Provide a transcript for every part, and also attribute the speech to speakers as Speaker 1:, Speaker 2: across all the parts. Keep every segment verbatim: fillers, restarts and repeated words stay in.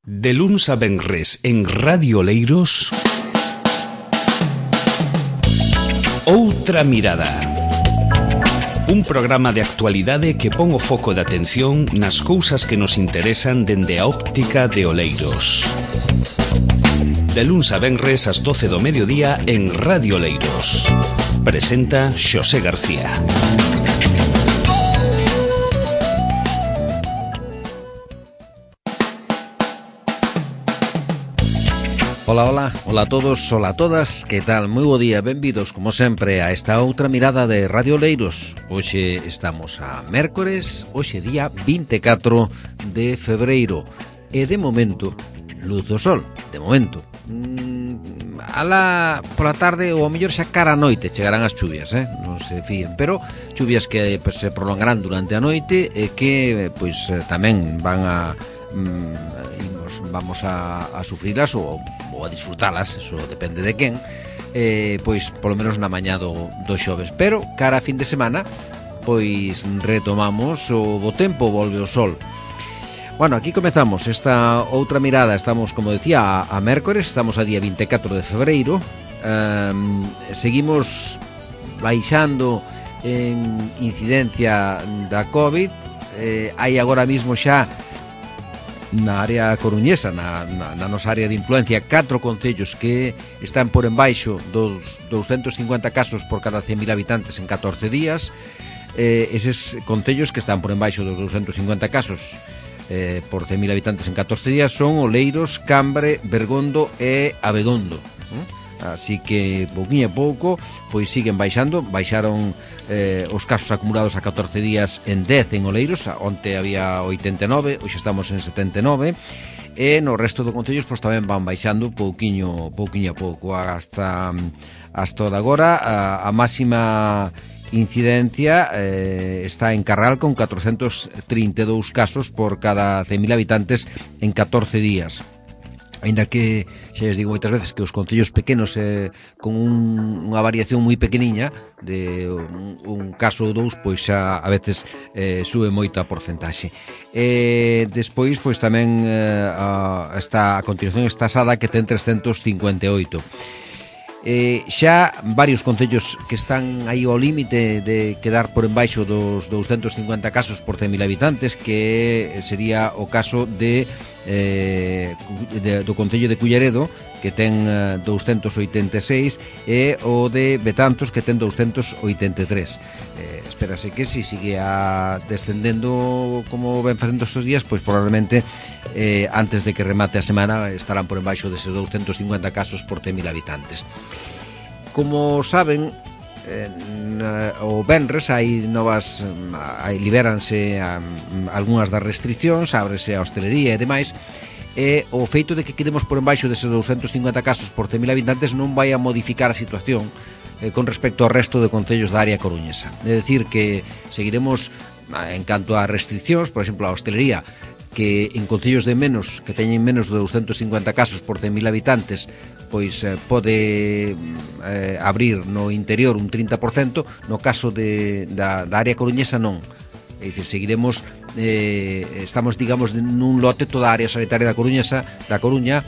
Speaker 1: De luns a venres en Radio Oleiros, Outra Mirada. Un programa de actualidade que pon o foco de atención nas cousas que nos interesan dende a óptica de Oleiros. De luns a venres ás doce do mediodía en Radio Oleiros. Presenta Xosé García.
Speaker 2: Ola, ola, ola a todos, ola a todas, que tal? Moi bo día, benvidos, como sempre, a esta outra mirada de Radio Oleiros. Hoxe estamos a mércores, hoxe día vinte e catro de febreiro. E de momento, luz do sol, de momento. Mm, ala pola tarde ou ao mellor xa cara a noite chegarán as chuvias, eh? Non se fíen, pero chuvias que pues, se prolongarán durante a noite e que pois tamén van a... Mm, vamos a, a sufrilas ou, ou a disfrutalas, eso depende de quen, eh, pois polo menos na mañá do, do xoves, pero cara a fin de semana pois retomamos o bo tempo, volve o sol. Bueno, aquí comezamos esta outra mirada. Estamos, como decía, a, a mércores, estamos a día vinte e catro de febreiro. um, seguimos baixando en incidencia da COVID. eh, hai agora mismo xa na área coruñesa, na, na, na nosa área de influencia, catro concellos que están por embaixo dos doscientos cincuenta casos por cada cen mil habitantes en catorce días. Eh, eses concellos que están por embaixo dos doscientos cincuenta casos eh, por cen mil habitantes en catorce días son Oleiros, Cambre, Bergondo e Abegondo. ¿eh? Así que, pouquinho a pouco, pois siguen baixando. Baixaron eh, os casos acumulados a catorce días en dez en Oleiros. Onte había oitenta e nove, hoxe estamos en setenta e nove. E no resto do concellos pois tamén van baixando pouquiño, pouquiño a pouco. Hasta, hasta de agora a, a máxima incidencia eh, está en Carral con catrocentos trinta e dous casos por cada cen mil habitantes en catorce días. Ainda que xa les digo moitas veces que os concellos pequenos eh, con un, unha variación moi pequeniña de un, un caso ou dous, pois xa a veces eh, sube moito a porcentaxe. E despois pois tamén eh, a, está, a continuación está Sada, que ten trescentos cincuenta e oito. Eh, xa varios concellos que están aí ao límite de quedar por embaixo dos doscientos cincuenta casos por cen mil habitantes, que sería o caso de, eh, de do concello de Culleredo, que ten eh, doscientos oitenta e seis, e o de Betanzos, que ten doscientos oitenta e tres. Eh, espérase que si sigue a descendendo como ven facendo estes días, pois probablemente eh, antes de que remate a semana estarán por embaixo deses doscientos cincuenta casos por cen mil habitantes. Como saben, eh, o venres hai novas, hai, liberanse um, algunhas das restriccións, ábrese a hostelería e demais, e o feito de que quedemos por embaixo deses doscientos cincuenta casos por cen mil habitantes non vai a modificar a situación eh, con respecto ao resto de concellos da área coruñesa. É dicir, que seguiremos en canto a restriccións, por exemplo, a hostelería, que en concellos de menos, que teñen menos de doscientos cincuenta casos por cen mil habitantes, pois eh, pode eh, abrir no interior un trinta por cento, no caso de, da, da área coruñesa non. É dicir, seguiremos, eh, estamos, digamos, nun lote toda a área sanitaria da coruñesa, da Coruña,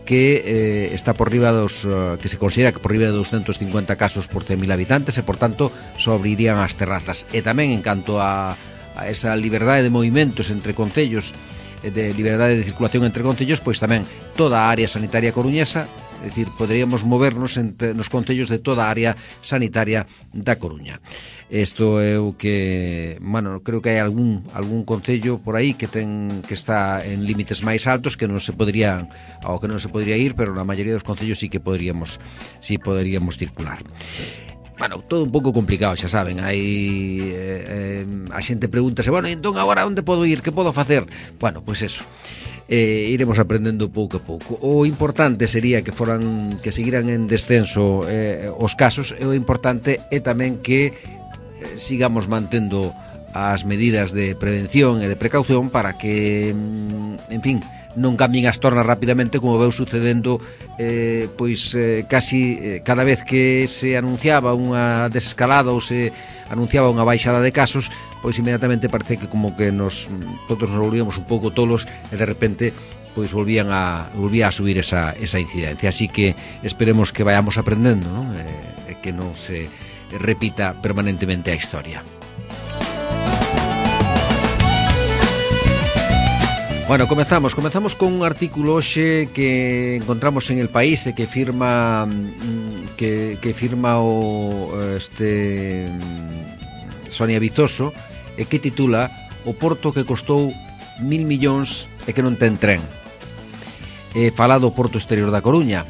Speaker 2: que eh, está por riba dos, uh, que se considera que por riba de doscientos cincuenta casos por cen mil habitantes, e por tanto só abrirían as terrazas. E tamén en canto a, a esa liberdade de movimentos entre concellos, de liberdade de circulación entre concellos, pois tamén toda a área sanitaria coruñesa, é dicir, poderíamos movernos entre, nos concellos de toda a área sanitaria da Coruña. Isto é o que, bueno, creo que hai algún algún concello por aí que ten que está en límites máis altos, que non se podrían, ao que non se podría ir, pero na maioría dos concellos sí que poderíamos, sí poderíamos circular. Bueno, todo un pouco complicado, xa saben. Hai eh, eh, a xente pregúntase, bueno, entón agora onde podo ir, que podo facer? Bueno, pois eso, eh, iremos aprendendo pouco a pouco. O importante sería que foran, que seguiran en descenso eh, os casos, e o importante é tamén que eh, sigamos mantendo as medidas de prevención e de precaución para que, en fin, non cambien as tornas rapidamente, como veu sucedendo eh, pois eh, casi eh, cada vez que se anunciaba unha desescalada ou se anunciaba unha baixada de casos, pois inmediatamente parece que como que nos todos nos volvíamos un pouco tolos e de repente pois volvían a volvía a subir esa, esa incidencia. Así que esperemos que vayamos aprendendo, non? E eh, que non se repita permanentemente a historia. Bueno, comezamos, comezamos con un artículo hoxe que encontramos en El País e que firma que, que firma o este Sonia Vizoso e que titula O Porto que costou mil millóns e que non ten tren. E fala do Porto Exterior da Coruña.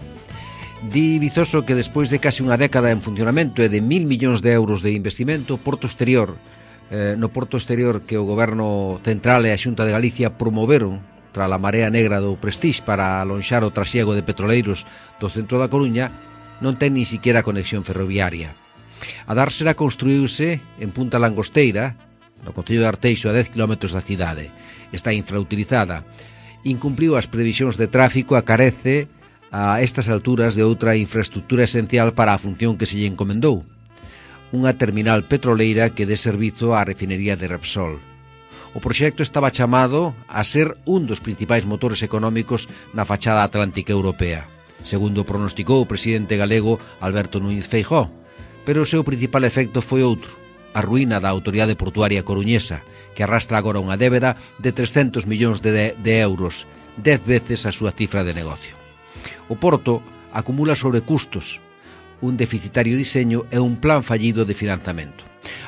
Speaker 2: Di Vizoso que despois de casi unha década en funcionamento e de mil millóns de euros de investimento, o Porto Exterior Eh, no Porto Exterior que o Goberno Central e a Xunta de Galicia promoveron tras a marea negra do Prestige para alonxar o trasiego de petroleiros do centro da Coruña, non ten ni siquiera conexión ferroviaria. A dársela construíuse en Punta Langosteira, no concello de Arteixo, a dez kilómetros da cidade. Está infrautilizada. Incumpliu as previsións de tráfico, a carece a estas alturas de outra infraestructura esencial para a función que se lle encomendou, unha terminal petroleira que dé servizo á refinería de Repsol. O proxecto estaba chamado a ser un dos principais motores económicos na fachada atlántica europea, segundo pronosticou o presidente galego Alberto Núñez Feijóo, pero o seu principal efecto foi outro, a ruína da autoridade portuaria coruñesa, que arrastra agora unha débeda de trescentos millóns de, de, de euros, dez veces a súa cifra de negocio. O Porto acumula sobrecustos, un deficitario diseño e un plan fallido de financiamento.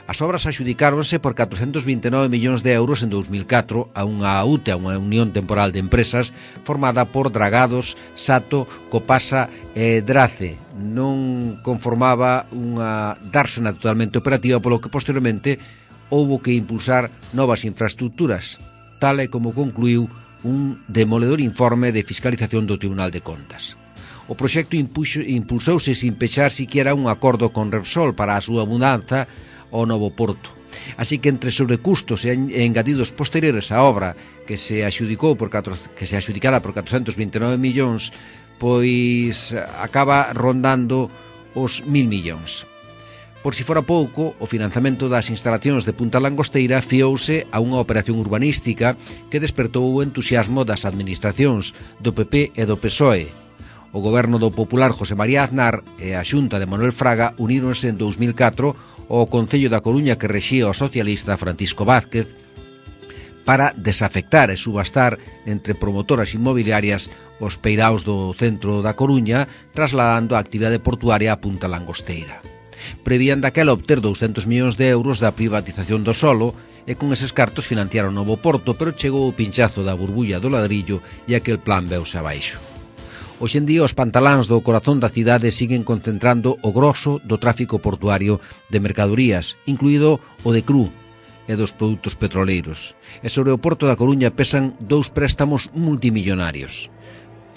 Speaker 2: As obras axudicáronse por catrocentos vinte e nove millóns de euros en dous mil catro a unha U T E, a unha Unión Temporal de Empresas, formada por Dragados, Sato, Copasa e Drace. Non conformaba unha dársena totalmente operativa, polo que posteriormente houbo que impulsar novas infraestructuras, tal e como concluiu un demoledor informe de fiscalización do Tribunal de Contas. O proxecto impulsouse sin pechar siquiera un acordo con Repsol para a súa mudanza ao novo porto. Así que entre sobrecustos e engadidos posteriores á obra que se axudicou por catro, que se axudicara por catrocentos vinte e nove millóns, pois acaba rondando os mil millóns. Por si fora pouco, o financiamento das instalacións de Punta Langosteira fiouse a unha operación urbanística que despertou o entusiasmo das administracións do P P e do P S O E. O goberno do popular José María Aznar e a Xunta de Manuel Fraga uníronse en dous mil catro ao Concello da Coruña que rexía o socialista Francisco Vázquez para desafectar e subastar entre promotoras inmobiliarias os peiraos do centro da Coruña, trasladando a actividade portuaria a Punta Langosteira. Prevían daquela obter douscentos millóns de euros da privatización do solo e con eses cartos financiaron o novo porto, pero chegou o pinchazo da burbulla do ladrillo e aquel plan veuse abaixo. Hoxe en día os pantaláns do corazón da cidade siguen concentrando o grosso do tráfico portuario de mercadorías, incluído o de cru e dos produtos petroleiros. E sobre o Porto da Coruña pesan dous préstamos multimillonarios.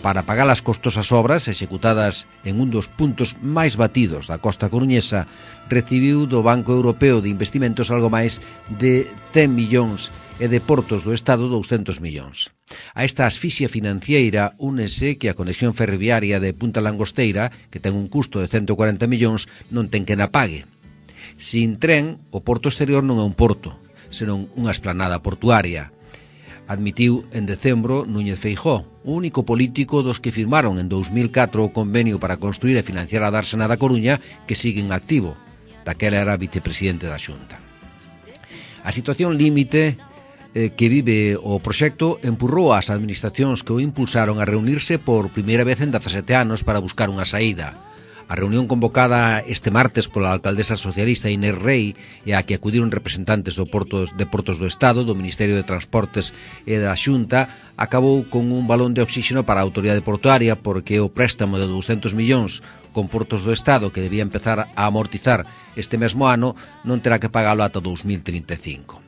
Speaker 2: Para pagar as costosas obras executadas en un dos puntos máis batidos da costa coruñesa, recibiu do Banco Europeo de Investimentos algo máis de cen millóns e de Portos do Estado douscentos millóns. A esta asfixia financiera únese que a conexión ferroviaria de Punta Langosteira, que ten un custo de cento cuarenta millóns, non ten que na pague. Sin tren, o Porto Exterior non é un porto, senón unha esplanada portuaria. Admitiu en decembro Núñez Feijóo, o único político dos que firmaron en dous mil catro o convenio para construir e financiar a dársena da Coruña, que sigue en activo. Daquela era vicepresidente da Xunta. A situación límite que vive o proxecto empurrou ás administracións que o impulsaron a reunirse por primeira vez en dezasete anos para buscar unha saída. A reunión convocada este martes pola alcaldesa socialista Inés Rei e a que acudiron representantes do Portos, de Portos do Estado, do Ministerio de Transportes e da Xunta, acabou con un balón de oxígeno para a autoridade portuaria porque o préstamo de douscentos millóns con Portos do Estado que debía empezar a amortizar este mesmo ano non terá que pagalo ata dous mil trinta e cinco.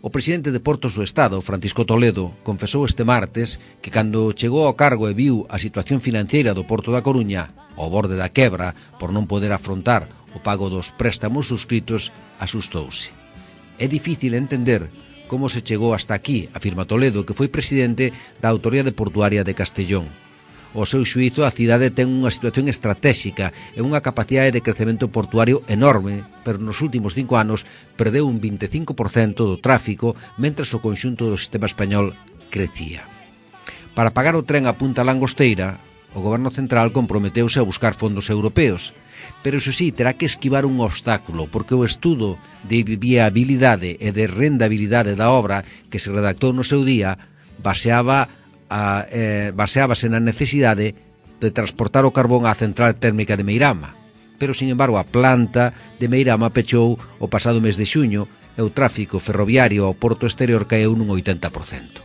Speaker 2: O presidente de Portos do Estado, Francisco Toledo, confesou este martes que cando chegou ao cargo e viu a situación financeira do Porto da Coruña, ao borde da quebra, por non poder afrontar o pago dos préstamos suscritos, asustouse. É difícil entender como se chegou hasta aquí, afirma Toledo, que foi presidente da Autoridade Portuaria de Castellón. Ao seu xuízo, a cidade ten unha situación estratéxica e unha capacidade de crecemento portuario enorme, pero nos últimos cinco anos perdeu un vinte e cinco por cento do tráfico, mentres o conxunto do sistema español crecía. Para pagar o tren a Punta Langosteira, o Goberno Central comprometeuse a buscar fondos europeos, pero iso sí, terá que esquivar un obstáculo, porque o estudo de viabilidade e de rendabilidade da obra que se redactou no seu día baseaba a, eh, baseábase na necesidade de transportar o carbón á central térmica de Meirama. Pero, sin embargo, a planta de Meirama pechou o pasado mes de xuño e o tráfico ferroviario ao porto exterior caeu nun oitenta por cento.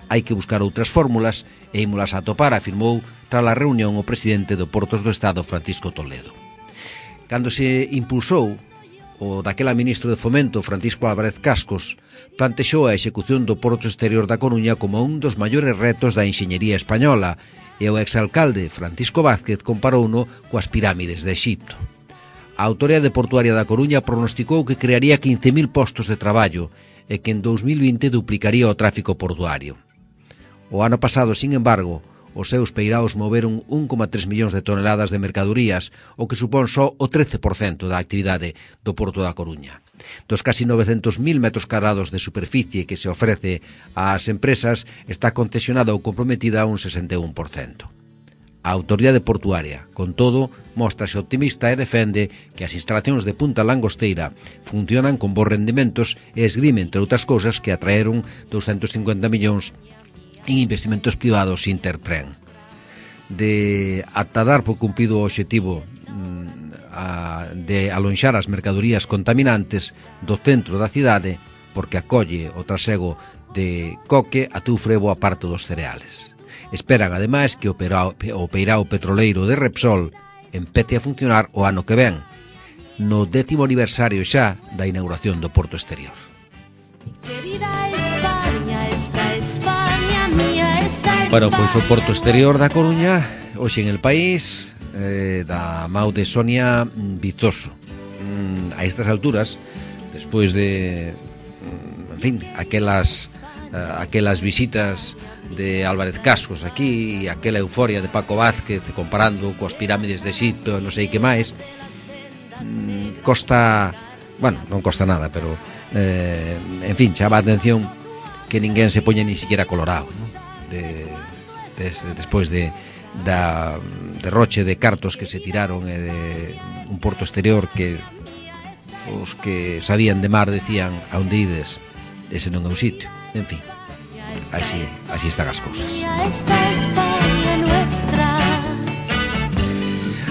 Speaker 2: Hai que buscar outras fórmulas e ímolas a topar, afirmou tras a reunión o presidente do Portos do Estado, Francisco Toledo. Cando se impulsou, o daquela ministro de Fomento, Francisco Álvarez Cascos, plantexou a execución do Porto Exterior da Coruña como un dos maiores retos da enxeñería española, e o exalcalde Francisco Vázquez comparouno coas pirámides de Exipto. A Autoridade Portuaria da Coruña pronosticou que crearía quince mil postos de traballo e que en dous mil vinte duplicaría o tráfico portuario. O ano pasado, sin embargo, os seus peiraos moveron un coma tres millóns de toneladas de mercadorías, o que supón só o trece por cento da actividade do Porto da Coruña. Dos casi novecentos mil metros cadrados de superficie que se ofrece ás empresas, está concesionada ou comprometida a un sesenta e un por cento. A Autoridade Portuaria, con todo, móstrase optimista e defende que as instalacións de Punta Langosteira funcionan con bons rendimentos e esgrime, entre outras cousas, que atraeron doscientos cincuenta millóns en investimentos privados Intertren. De ata dar por cumprido o obxectivo a, de alonxar as mercadorías contaminantes do centro da cidade, porque acolle o trasego de coque, atufre boa parte dos cereales. Esperan, ademais, que o peirao petroleiro de Repsol empece a funcionar o ano que ven, no décimo aniversario xa da inauguración do Porto Exterior.
Speaker 3: Querida España, esta España mía, esta España.
Speaker 2: Bueno, pois o Porto Exterior da Coruña, hoxe en El País, eh, da Mau de Sonia Vizoso. Mm, a estas alturas, despois de, en fin, aquelas, uh, aquelas visitas de Álvarez Cascos aquí, e aquela euforia de Paco Vázquez comparando coas pirámides de Exipto, non sei que máis, mm, costa, bueno, non costa nada, pero eh, en fin, chama a atención que ninguén se poña ni siquiera colorado, ¿no? de, de, despois de da derroche de cartos que se tiraron e de un Porto Exterior que os que sabían de mar decían a onde ides, ese non é o sitio, en fin. Así, así están as cousas.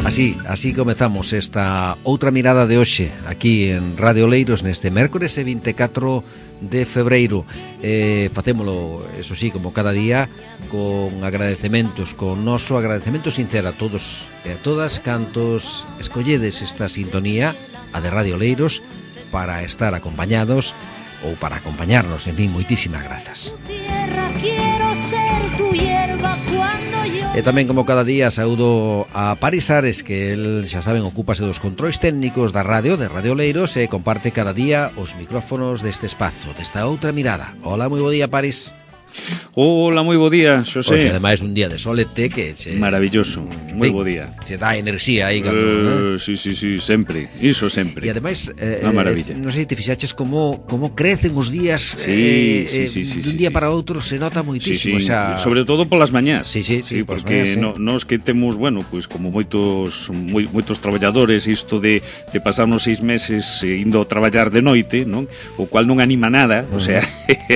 Speaker 2: Así, así comezamos esta outra mirada de hoxe aquí en Radio Leiros neste mércores e vinte e catro de febreiro. Eh, facémolo, eso sí, como cada día, con agradecementos, con noso agradecemento sincero a todos e a todas cantos escolledes esta sintonía, a de Radio Leiros, para estar acompañados ou para acompañarnos, en fin, moitísimas grazas. E tamén, como cada día, saúdo a Paris Ares, que el, xa saben, ocúpase dos controis técnicos da radio, de Radio Leiros, e comparte cada día os micrófonos deste espazo, desta outra mirada. Hola, moi bo día, Paris.
Speaker 4: Hola, moi bo día, Xosé.
Speaker 2: Oxe, ademais, un día de solete que che...
Speaker 4: Maravilloso, moi bo día.
Speaker 2: Se dá enerxía aí cando,
Speaker 4: uh, Sí, sí, sí, sempre, iso sempre.
Speaker 2: E ademais, eh,
Speaker 4: unha maravilla.
Speaker 2: Non sei se te fixaches como, como crecen os días,
Speaker 4: sí,
Speaker 2: eh,
Speaker 4: sí, sí, sí,
Speaker 2: dun
Speaker 4: sí,
Speaker 2: día
Speaker 4: sí.
Speaker 2: para outro se nota moitísimo,
Speaker 4: sí, sí.
Speaker 2: xa...
Speaker 4: Sobre todo polas mañás.
Speaker 2: Sí, sí, sí,
Speaker 4: sí
Speaker 2: polas
Speaker 4: porque
Speaker 2: mañás, sí.
Speaker 4: no, nos que temos, bueno, pues como moitos moi, moitos traballadores, isto de, de pasarnos seis meses eh, indo a traballar de noite, non? O cual non anima nada, uh -huh. O sea,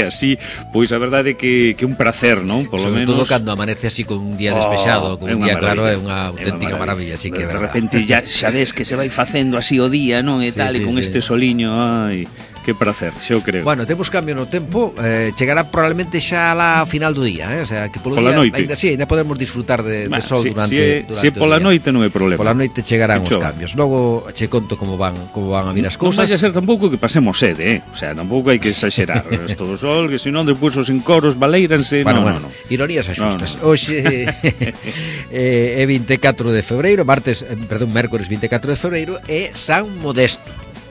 Speaker 4: así, pois a verdade é que, que un prazer, non? Por
Speaker 2: sobre
Speaker 4: lo menos...
Speaker 2: todo cando amanece así con un día despexado, oh, con un día claro, é unha auténtica
Speaker 4: é
Speaker 2: maravilla, así que
Speaker 4: de,
Speaker 2: é
Speaker 4: de repente ya xa ves que se vai facendo así o día, non? E sí, tal, sí, e con sí. Este soliño, ai, que prazer, xa o creo.
Speaker 2: Bueno, temos cambio no tempo, eh, chegará probablemente xa a final do día, eh? O sea, que polo
Speaker 4: pola
Speaker 2: día,
Speaker 4: noite.
Speaker 2: Ainda sí, ainda podemos disfrutar de, de sol
Speaker 4: si,
Speaker 2: durante,
Speaker 4: si é,
Speaker 2: durante
Speaker 4: si é pola noite non é problema.
Speaker 2: Pola noite chegarán os cambios. Logo che conto como van como van a vir as cousas.
Speaker 4: Non vai a ser tampouco que pasemos sede, eh? O sea, tampouco hai que exagerar. Isto do sol, que senón despois os encoros baleiranse,
Speaker 2: bueno,
Speaker 4: no,
Speaker 2: bueno,
Speaker 4: no, no.
Speaker 2: Ironías axustas. No, no. Hoxe eh, é vinte e catro de febreiro, martes, perdón, mércores vinte e catro de febreiro é San Modesto.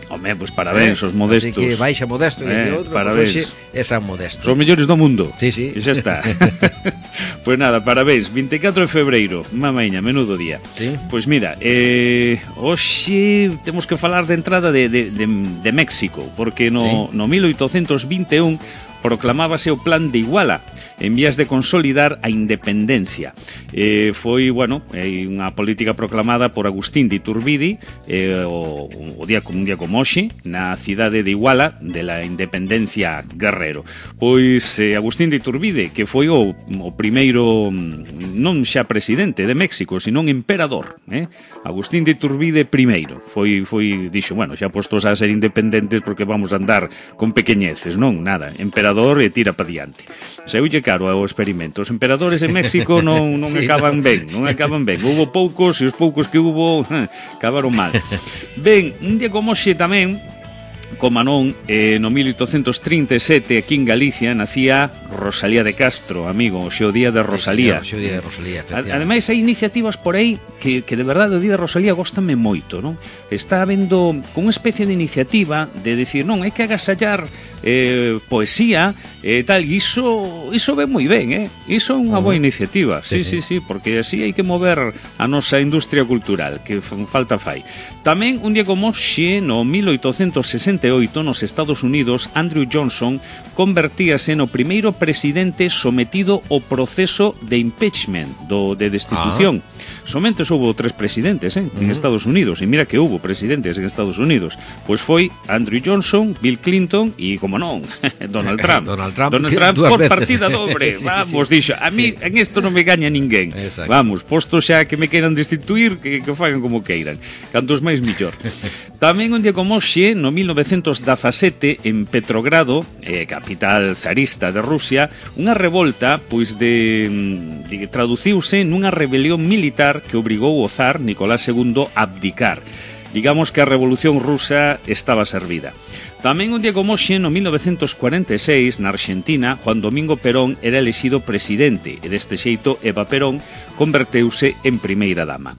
Speaker 4: Home, pois parabéns, eh, os modestos.
Speaker 2: Así que baixa Modesto e
Speaker 4: eh,
Speaker 2: outro,
Speaker 4: pois
Speaker 2: hoxe é San Modesto.
Speaker 4: Os mellores do mundo.
Speaker 2: Sí, sí.
Speaker 4: E xa está. Pois nada, parabéns, vinte e catro de febreiro, mamaña, menudo día.
Speaker 2: Sí.
Speaker 4: Pois mira, eh, hoxe temos que falar de entrada de, de, de, de México, porque no, sí. no mil oitocentos vinte e un proclamábase o Plan de Iguala, en vías de consolidar a independencia. Eh, foi, bueno, eh, unha política proclamada por Agustín de Iturbide eh, o, o día como un día como hoxe na cidade de Iguala de la independencia Guerrero. Pois eh, Agustín de Iturbide, que foi o, o primeiro non xa presidente de México, sino un emperador, eh? Agustín de Iturbide primeiro. Foi, foi, dixo, bueno, xa postos a ser independentes porque vamos a andar con pequeñeces, non, nada, emperador e tira pa diante. Seulle caro ao experimento. Os emperadores en México non, non sí, acaban no. ben, non acaban ben. Hubo poucos e os poucos que hubo acabaron mal. Ben, un día como hoxe tamén, como non, eh, no mil oitocentos trinta e sete aquí en Galicia nacía Rosalía de Castro, amigo, o xeo día de Rosalía.
Speaker 2: Sí, o día de Rosalía,
Speaker 4: ademais hai iniciativas por aí que, que de verdade o día de Rosalía góstame moito, non? Está habendo con unha especie de iniciativa de decir, non, hai que agasallar eh, poesía e eh, tal, e iso, iso ve moi ben, eh? Iso é unha boa iniciativa, sí, sí, sí, sí, porque así hai que mover a nosa industria cultural, que falta fai. Tamén, un día como xe, no mil oitocentos sesenta e oito, nos Estados Unidos, Andrew Johnson convertíase no primeiro presidente sometido ao proceso de impeachment, do, de destitución. Ah. Somente houve tres presidentes eh, en uh-huh. Estados Unidos, e mira que houve presidentes en Estados Unidos. Pois foi Andrew Johnson, Bill Clinton e, como non, Donald Trump.
Speaker 2: Donald Trump,
Speaker 4: Donald Trump por
Speaker 2: veces.
Speaker 4: partida dobre. sí, Vamos, sí. dixo, a mí sí. en isto non me gaña ninguén.
Speaker 2: Exacto.
Speaker 4: Vamos, posto xa que me queiran destituir, que, que fagan como queiran. Cantos máis millor. Tamén un día como hoxe, no mil novecentos dezasete, en Petrogrado, eh, capital zarista de Rusia, unha revolta, pois de, de traduciuse nunha rebelión militar que obrigou o zar Nicolás segundo a abdicar. Digamos que a revolución rusa estaba servida. Tamén un día como hoxe, no mil novecentos cuarenta e seis, na Argentina, Juan Domingo Perón era elexido presidente e deste xeito Eva Perón converteuse en primeira dama.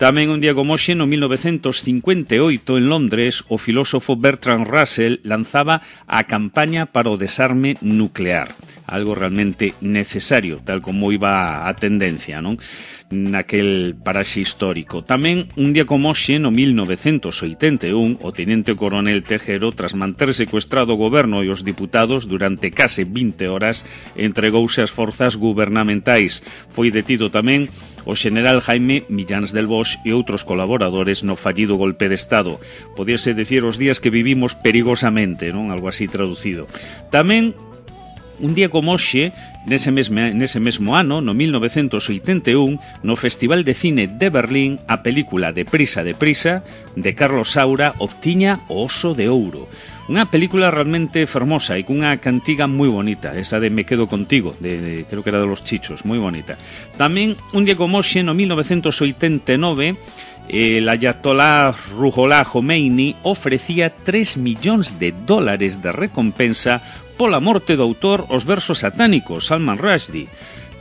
Speaker 4: Tamén un día como hoxe, no mil novecentos cincuenta e oito, en Londres, o filósofo Bertrand Russell lanzaba a campaña para o desarme nuclear. Algo realmente necesario, tal como iba a tendencia, non? Naquel paraxe histórico. Tamén, un día como hoxe, no mil novecentos oitenta e un, o tenente coronel Tejero, tras manter secuestrado o goberno e os diputados durante case vinte horas, entregouse ás forzas gubernamentais. Foi detido tamén o xeneral Jaime Millán del Bosch e outros colaboradores no fallido golpe de Estado. Podíase decir os días que vivimos perigosamente, non? Algo así traducido. Tamén, un día como hoxe, nese mesmo, nese mesmo ano, no mil novecentos oitenta e un, no Festival de Cine de Berlín, a película Deprisa, Deprisa, de Carlos Saura, obtiña o Oso de Ouro. Unha película realmente fermosa e cunha cantiga moi bonita, esa de Me quedo contigo, de, de, creo que era de Los Chichos, moi bonita. Tamén, un día como hoxe, no mil novecentos oitenta e nove, el Ayatollah Ruhollah Khomeini ofrecía tres millóns de dólares de recompensa pola morte do autor os versos satánicos, Salman Rushdie.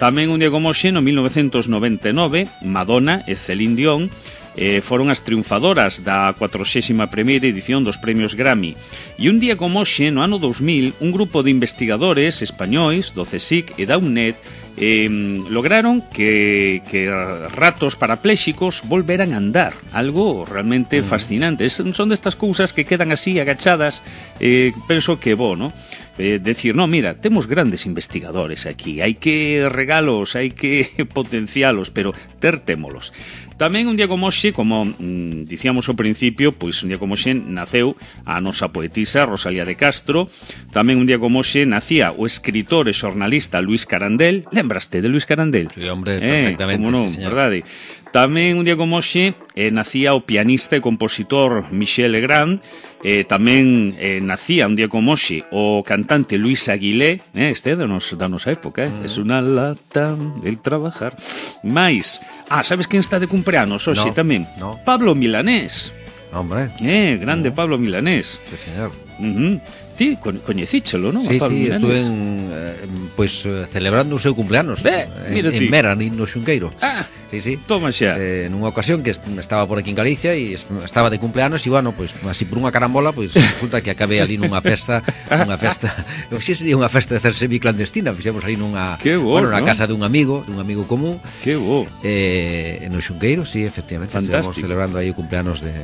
Speaker 4: Tamén un día como hoxe, no mil novecentos noventa e nove, Madonna e Celine Dion eh, foron as triunfadoras da cuadragésima primeira edición dos premios Grammy. E un día como hoxe, no ano dous mil, un grupo de investigadores españois do CSIC e da UNED eh, lograron que, que ratos parapléxicos volveran a andar. Algo realmente mm. fascinante. Son destas cousas que quedan así agachadas, eh, penso que bo, ¿no? Eh, decir, no, mira, temos grandes investigadores aquí, hai que regalos, hai que potencialos, pero ter témolos. Tamén un día como hoxe, como mm, dicíamos ao principio, pois un día como hoxe naceu a nosa poetisa Rosalía de Castro. Tamén un día como hoxe nacía o escritor e xornalista Luis Carandel. Lembraste de Luis Carandel?
Speaker 2: Sí, hombre, perfectamente,
Speaker 4: eh, como non,
Speaker 2: sí, señor.
Speaker 4: Verdade? Tamén un día como hoxe eh, nacía o pianista e compositor Michel Legrand. Eh, tamén eh, nacía un día como hoxe o cantante Luis Aguilé, eh, este é da, nos, da nosa época, eh? Mm. Es unha lata el trabajar. Mais, ah, sabes quen está de cumpleanos hoxe
Speaker 2: no,
Speaker 4: tamén?
Speaker 2: No.
Speaker 4: Pablo Milanés.
Speaker 2: Hombre.
Speaker 4: Eh, grande no. Pablo Milanés.
Speaker 2: Sí, señor.
Speaker 4: Uh-huh. Ti coñecíchelo, non?
Speaker 2: Sí, sí, estuve en, eh, pues, celebrando o seu cumpleanos
Speaker 4: Bé,
Speaker 2: en, en Meran, no Xunqueiro.
Speaker 4: Ah,
Speaker 2: sí, sí.
Speaker 4: Toma xa.
Speaker 2: Eh, nunha ocasión que estaba por aquí en Galicia e estaba de cumpleanos e, bueno, pues, así por unha carambola, pues, resulta que acabei ali nunha festa, unha festa, si sería unha festa de hacer semiclandestina, fixemos ali nunha,
Speaker 4: bo,
Speaker 2: bueno, na
Speaker 4: ¿no?
Speaker 2: casa dun amigo, dun amigo común.
Speaker 4: Que bo.
Speaker 2: Eh, no Xunqueiro, sí, efectivamente,
Speaker 4: fantástico.
Speaker 2: Estivemos celebrando aí o cumpleanos de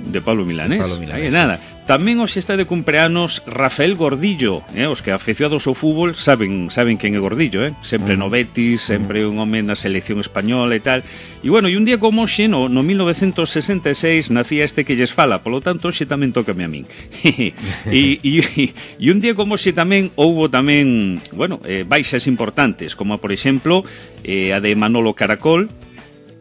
Speaker 4: De Pablo Milanés.
Speaker 2: Pablo Milanés.
Speaker 4: Aí nada. Tamén hoxe está de cumpleanos Rafael Gordillo, eh? Os que afeccionados ao fútbol saben saben quen é Gordillo, eh? Sempre no Betis, sempre un home na selección española e tal. E bueno, e un día como hoxe, no, no mil novecientos sesenta e seis, nacía este que lles fala, polo tanto hoxe tamén tócame a min. e, e, e un día como hoxe tamén houbo tamén, bueno, eh, baixas importantes, como por exemplo eh, a de Manolo Caracol,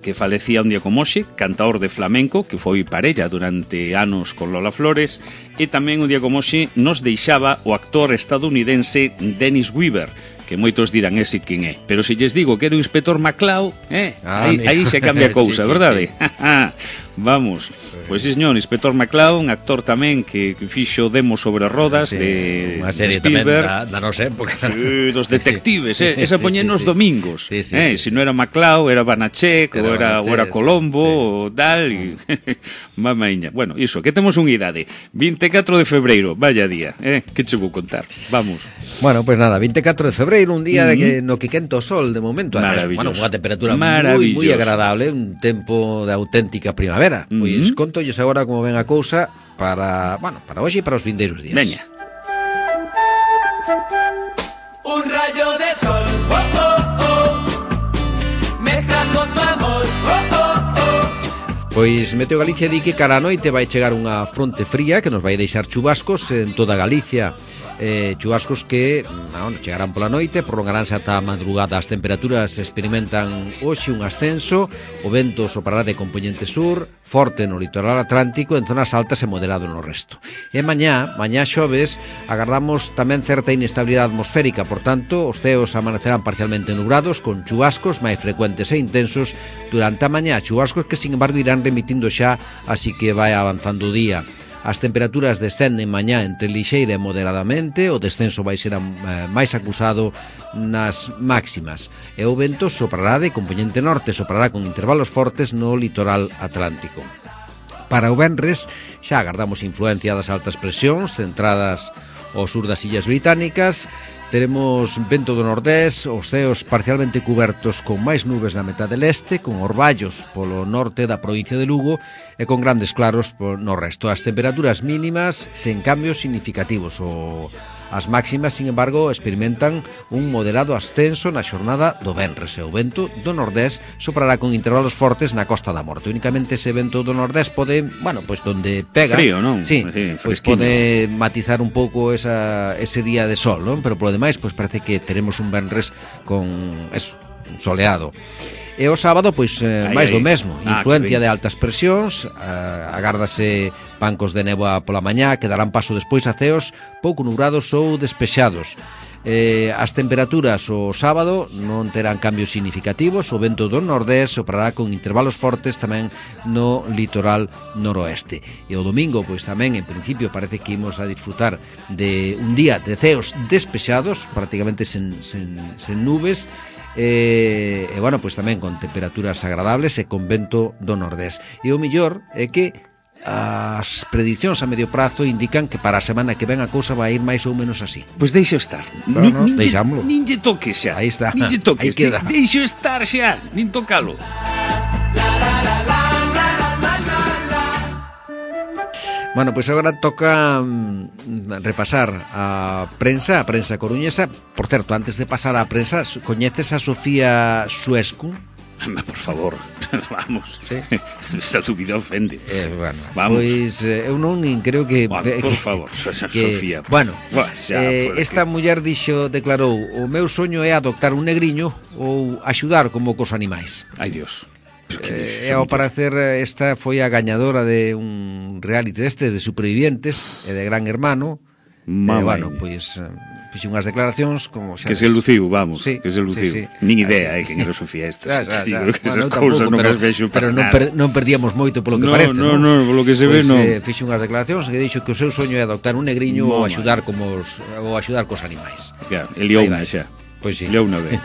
Speaker 4: que falecía un día como hoxe, cantaor de flamenco, que foi parella durante anos con Lola Flores, e tamén un día como hoxe nos deixaba o actor estadounidense Dennis Weaver, que moitos dirán ese quen é, pero se lles digo que era o inspector McCloud, eh,
Speaker 2: ah,
Speaker 4: aí, aí se cambia a cousa,
Speaker 2: sí, sí,
Speaker 4: verdade?
Speaker 2: Sí.
Speaker 4: Vamos, pois sí, señor, inspector McCloud, un actor tamén que, que fixo demo sobre rodas
Speaker 2: sí,
Speaker 4: de,
Speaker 2: unha serie
Speaker 4: de Spielberg,
Speaker 2: tamén da, da nosa época.
Speaker 4: Sí, dos detectives, sí, eh, esa
Speaker 2: sí,
Speaker 4: poñen
Speaker 2: sí,
Speaker 4: nos
Speaker 2: sí.
Speaker 4: domingos,
Speaker 2: sí, sí,
Speaker 4: eh,
Speaker 2: sí.
Speaker 4: se non era McCloud, era Banachek,
Speaker 2: Era
Speaker 4: ou era,
Speaker 2: Banachek,
Speaker 4: ou era Colombo,
Speaker 2: sí,
Speaker 4: ou tal, e mamaiña. Bueno, iso, que temos unha idade, vinte e catro de febreiro, vaya día, eh, que che vou contar, vamos.
Speaker 2: Bueno, pues nada, vinte e catro de febreiro, un día mm-hmm. de que no que quenta o sol de momento, además, bueno, unha temperatura moi moi agradable, un tempo de auténtica primavera. Mm-hmm. Pois contolles agora como ven a cousa para, bueno, para hoxe e para os vindeiros días.
Speaker 4: Veña.
Speaker 5: Un rayo de sol, oh, oh, oh, me trajo tu amor, oh, oh, oh.
Speaker 2: Pois Meteo Galicia di que cara a noite vai chegar unha fronte fría que nos vai deixar chubascos en toda Galicia. Eh, chubascos que bueno, chegarán pola noite, prolongaránse ata a madrugada. As temperaturas experimentan hoxe un ascenso, o vento soprará de componente sur, forte no litoral atlántico, en zonas altas e moderado no resto. E mañá, mañá xoves, agardamos tamén certa inestabilidade atmosférica, por tanto, os ceos amanecerán parcialmente nublados, con chubascos máis frecuentes e intensos durante a mañá, chubascos que, sin embargo, irán remitindo xa, así que vai avanzando o día. As temperaturas descenden mañá entre lixeira e moderadamente, o descenso vai ser eh, máis acusado nas máximas. E o vento soprará de componente norte, soprará con intervalos fortes no litoral atlántico. Para o venres xa agardamos influencia das altas presións centradas ao sur das Illas Británicas. Teremos vento do nordés, os ceos parcialmente cubertos con máis nubes na metade leste, con orballos polo norte da provincia de Lugo e con grandes claros no resto. As temperaturas mínimas sen cambios significativos. O... As máximas, sin embargo, experimentan un moderado ascenso na xornada do venres e o vento do nordés soprará con intervalos fortes na Costa da Morte. Únicamente ese vento do nordés pode, bueno, pois donde pega,
Speaker 4: frío, non?
Speaker 2: Sí, sí, pois pode matizar un pouco esa, ese día de sol, non? Pero polo demais, pois parece que teremos un venres con eso, soleado. E o sábado, pois, eh, máis do mesmo, ah, influencia de altas presións, eh, agárdase bancos de néboa pola mañá, que darán paso despois a ceos pouco nubrados ou despexados. Eh, as temperaturas o sábado non terán cambios significativos, o vento do nordés soprará con intervalos fortes tamén no litoral noroeste. E o domingo, pois tamén, en principio, parece que imos a disfrutar de un día de ceos despexados, prácticamente sen, sen, sen nubes, E, e bueno, pois tamén con temperaturas agradables e con vento do nordés. E o mellor é que as predicións a medio prazo indican que para a semana que ven a cousa vai ir máis ou menos así.
Speaker 4: Pois deixo estar.
Speaker 2: Pero
Speaker 4: Ni,
Speaker 2: no,
Speaker 4: nin,
Speaker 2: deixámoslo.
Speaker 4: Nin lle toques xa.
Speaker 2: Aí está.
Speaker 4: Nin lle toques.
Speaker 2: Aí queda.
Speaker 4: De, deixo estar xa, nin tocalo.
Speaker 2: Bueno, pois agora toca mm, repasar a prensa, a prensa coruñesa. Por certo, antes de pasar á prensa, coñeces a Sofía Suescu?
Speaker 4: Por favor, vamos.
Speaker 2: Sí?
Speaker 4: Esta dúbida ofende.
Speaker 2: Eh, bueno,
Speaker 4: vamos.
Speaker 2: Pois eh, eu non nin creo que...
Speaker 4: Bueno,
Speaker 2: que
Speaker 4: por favor, que, Sofía.
Speaker 2: Bueno,
Speaker 4: bueno xa,
Speaker 2: eh, esta que... muller dixo, declarou: o meu soño é adoptar un negriño ou axudar como cos animais.
Speaker 4: Ai, Dios.
Speaker 2: E eh, ao parecer esta foi a gañadora de un reality deste de supervivientes e de Gran Hermano.
Speaker 4: Mamá.
Speaker 2: Eh, bueno, pois fixe unhas declaracións como xa
Speaker 4: que se luciu, vamos,
Speaker 2: sí,
Speaker 4: que se luciu.
Speaker 2: Sí, sí.
Speaker 4: Nin idea, eh, que era Sofía esta.
Speaker 2: Xa, xa, xa.
Speaker 4: Que
Speaker 2: Bueno,
Speaker 4: esas cousas non as vexo
Speaker 2: pero
Speaker 4: para
Speaker 2: non, per, non perdíamos moito polo que
Speaker 4: no,
Speaker 2: parece,
Speaker 4: no,
Speaker 2: non?
Speaker 4: No, no, polo que se
Speaker 2: pois,
Speaker 4: ve, non.
Speaker 2: Eh, fixe unhas declaracións que dixo que o seu soño é adoptar un negriño ou axudar como os, ou axudar cos animais.
Speaker 4: Claro, el liou unha xa.
Speaker 2: Pois sí.
Speaker 4: Liou unha vez.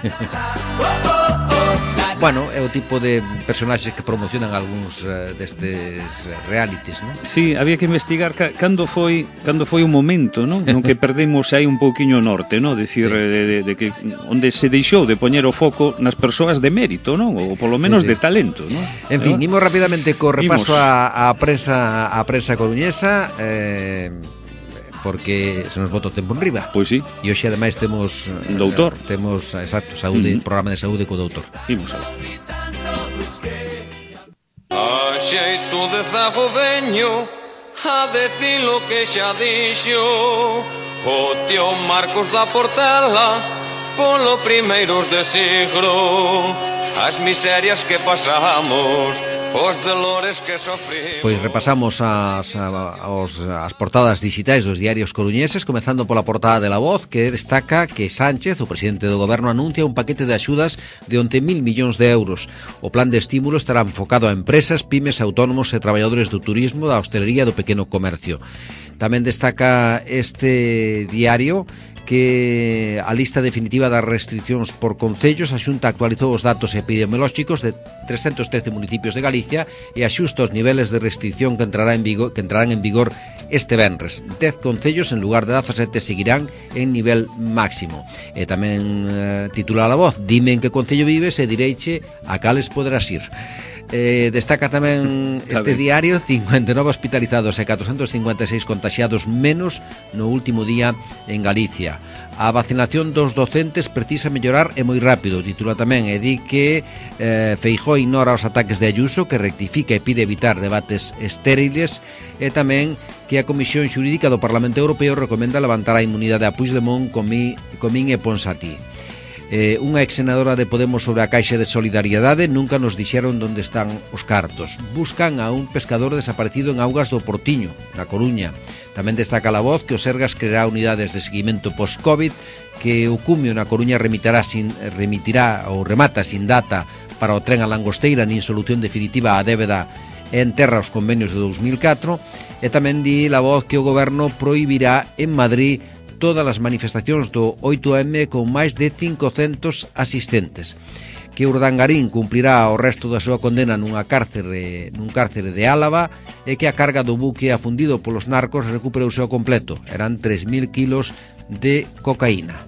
Speaker 2: bueno, é o tipo de personaxes que promocionan algúns uh, destes realities, non?
Speaker 4: Sí, había que investigar ca, cando foi cando foi o momento, non? Non que perdemos aí un pouquiño o norte, non? Decir, sí. de, de, de que onde se deixou de poñer o foco nas persoas de mérito, non? Ou polo menos sí, sí. de talento, non?
Speaker 2: En fin, imos rapidamente co repaso a, a prensa a prensa coruñesa, eh, porque se nos bota o tempo en riba.
Speaker 4: Pois sí.
Speaker 2: E hoxe ademais temos
Speaker 4: doutor.
Speaker 2: Eh, temos, exacto, saúde, uh-huh. programa de saúde co doutor.
Speaker 4: Imos alá.
Speaker 6: A xeito de zago veño a decir lo que xa dixo o tío Marcos da Portela polo primeiros de siglo, as miserias que pasamos, os dolores que sofrimos.
Speaker 2: Pois repasamos as, as, as portadas digitais dos diarios coruñeses, comezando pola portada de La Voz, que destaca que Sánchez, o presidente do goberno, anuncia un paquete de axudas de once mil millóns de euros. O plan de estímulo estará enfocado a empresas, pymes, autónomos e traballadores do turismo, da hostelería e do pequeno comercio. Tamén destaca este diario que a lista definitiva das restriccións por concellos. A Xunta actualizou os datos epidemiolóxicos de trescentos trece municipios de Galicia e axusta os niveles de restricción que, entrará en vigor, que entrarán en vigor este venres. dez concellos en lugar de dezasete seguirán en nivel máximo. E tamén eh, titula La Voz: dime en que concello vives e direiche a cales poderás ir. Eh, destaca tamén este diario cincuenta e nove hospitalizados e catrocentos cincuenta e seis contaxiados menos no último día en Galicia. A vacinación dos docentes precisa mellorar e moi rápido, titula tamén, e di que eh, Feijóo ignora os ataques de Ayuso, que rectifica e pide evitar debates estériles, e tamén que a Comisión Xurídica do Parlamento Europeo recomenda levantar a inmunidade a Puigdemont, Comín, Comín e Ponsatí. Eh, unha exsenadora de Podemos sobre a Caixa de Solidariedade: nunca nos dixeron onde están os cartos. Buscan a un pescador desaparecido en augas do Portiño, na Coruña. Tamén destaca La Voz que o Sergas creará unidades de seguimento post-Covid, que o Cumio na Coruña remitirá, sin, remitirá ou remata sin data para o tren a Langosteira, nin solución definitiva á débeda e enterra os convenios de dous mil catro. E tamén di La Voz que o goberno prohibirá en Madrid todas as manifestacións do oito eme con máis de cincocentos asistentes, que Urdangarín cumplirá o resto da súa condena nunha cárcere, nun cárcere de Álava, e que a carga do buque afundido polos narcos recuperouse ao completo. Eran tres mil kilos de cocaína.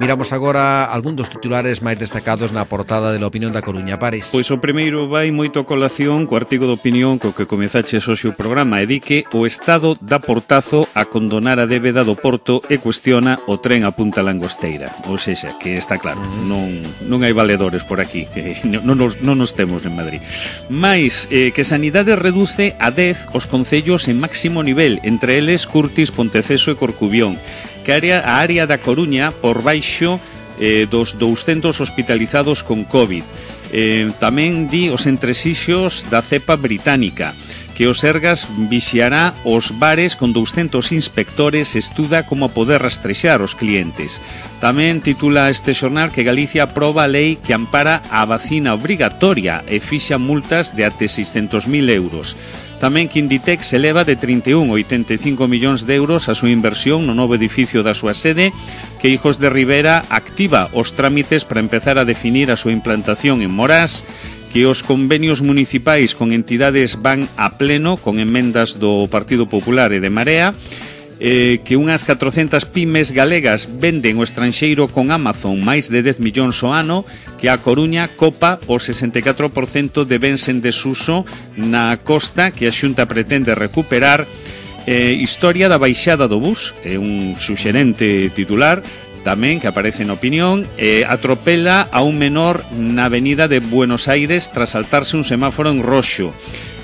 Speaker 2: Miramos agora algún dos titulares máis destacados na portada de La Opinión da Coruña. Pares.
Speaker 4: Pois o primeiro vai moito a colación co artigo de opinión co que comezaches hoxe o programa, e di que o Estado dá portazo a condonar a débeda do Porto e cuestiona o tren a Punta Langosteira. Ou sexa, que está claro, uh-huh. non, non hai valedores por aquí, non nos, non nos temos en Madrid. Mais eh, que Sanidade reduce a dez os concellos en máximo nivel, entre eles Curtis, Ponteceso e Corcubión, que área, a área da Coruña por baixo eh, dos douscentos hospitalizados con COVID. Eh, tamén di os entresixos da cepa británica, que o Sergas vixiará os bares con douscentos inspectores e estuda como poder rastrexar os clientes. Tamén titula este xornal que Galicia aproba a lei que ampara a vacina obrigatoria e fixa multas de até seiscentos mil euros. Tamén que Inditex eleva de trinta e un a oitenta e cinco millóns de euros a súa inversión no novo edificio da súa sede, que Hijos de Rivera activa os trámites para empezar a definir a súa implantación en Morás, que os convenios municipais con entidades van a pleno con emendas do Partido Popular e de Marea, eh, que unhas catrocentas pymes galegas venden o estranxeiro con Amazon máis de dez millóns ao ano, que a Coruña copa o sesenta e catro por cento de bens en desuso na costa que a Xunta pretende recuperar. Eh, historia da baixada do bus, é un suxerente titular tamén que aparece na opinión. eh, atropela a un menor na avenida de Buenos Aires tras saltarse un semáforo en roxo.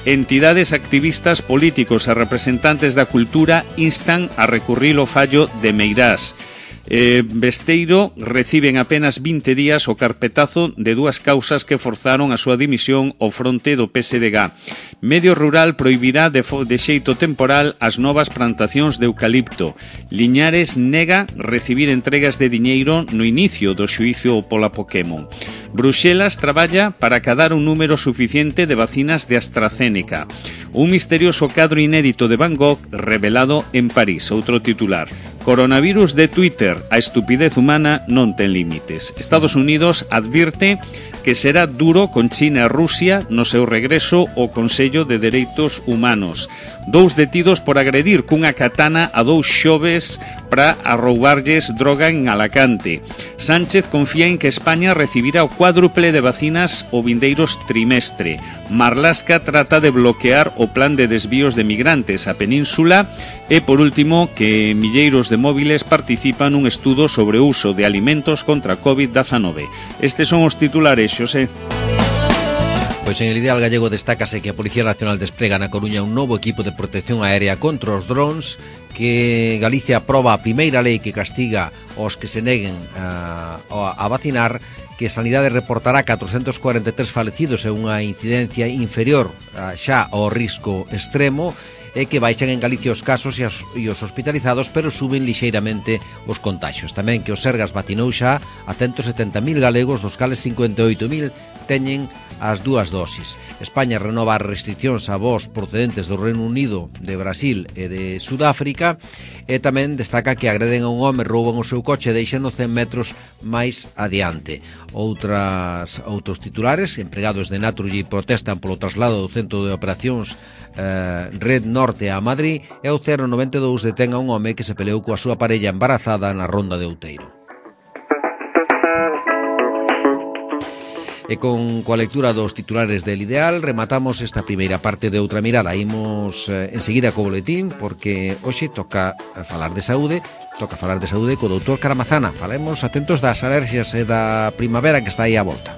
Speaker 4: Entidades, activistas, políticos e representantes da cultura instan a recurrir o fallo de Meirás. Eh, Besteiro reciben apenas vinte días o carpetazo de dúas causas que forzaron a súa dimisión ao fronte do P S D G. Medio Rural prohibirá de, de xeito temporal as novas plantacións de eucalipto. Liñares nega recibir entregas de diñeiro no inicio do xuízo pola Pokémon. Bruxelas traballa para cadar un número suficiente de vacinas de AstraZeneca. Un misterioso cadro inédito de Van Gogh revelado en París. Outro titular. Coronavirus de Twitter, a estupidez humana non ten límites. Estados Unidos advirte que será duro con China e Rusia no seu regreso ao Consello de Dereitos Humanos. Dous detidos por agredir cunha katana a dous xoves para arroubarlles droga en Alacante. Sánchez confía en que España recibirá o cuádruple de vacinas o vindeiros trimestre. Marlaska trata de bloquear o plan de desvíos de migrantes á península e, por último, que milleiros de móviles participan nun estudo sobre o uso de alimentos contra covid diecinueve. Estes son os titulares, Xosé.
Speaker 2: Pois en el Ideal Gallego destácase que a Policía Nacional desprega na Coruña un novo equipo de protección aérea contra os drons, que Galicia aproba a primeira lei que castiga os que se neguen a, a vacinar, que Sanidade reportará catrocentos cuarenta e tres falecidos e unha incidencia inferior a, xa ao risco extremo, e que baixan en Galicia os casos e, as, e os hospitalizados, pero suben lixeiramente os contaxios. Tamén que o Sergas vacinou xa a ciento setenta mil galegos, dos cales cincuenta e oito mil teñen as dúas dosis. España renova as restriccións a voos procedentes do Reino Unido, de Brasil e de Sudáfrica, e tamén destaca que agreden a un home, rouban o seu coche e deixan cen metros máis adiante. Outras, outros titulares: empregados de Naturgy protestan polo traslado do centro de operacións eh, Red Norte a Madrid, e o cero noventa e dous detén a un home que se peleou coa súa parella embarazada na Ronda de Outeiro. E con coa lectura dos titulares del Ideal rematamos esta primeira parte de Outra Mirada. Imos eh, enseguida co boletín, porque hoxe toca falar de saúde, toca falar de saúde co doutor Caramazana. Falemos atentos das alerxias e da primavera que está aí á volta.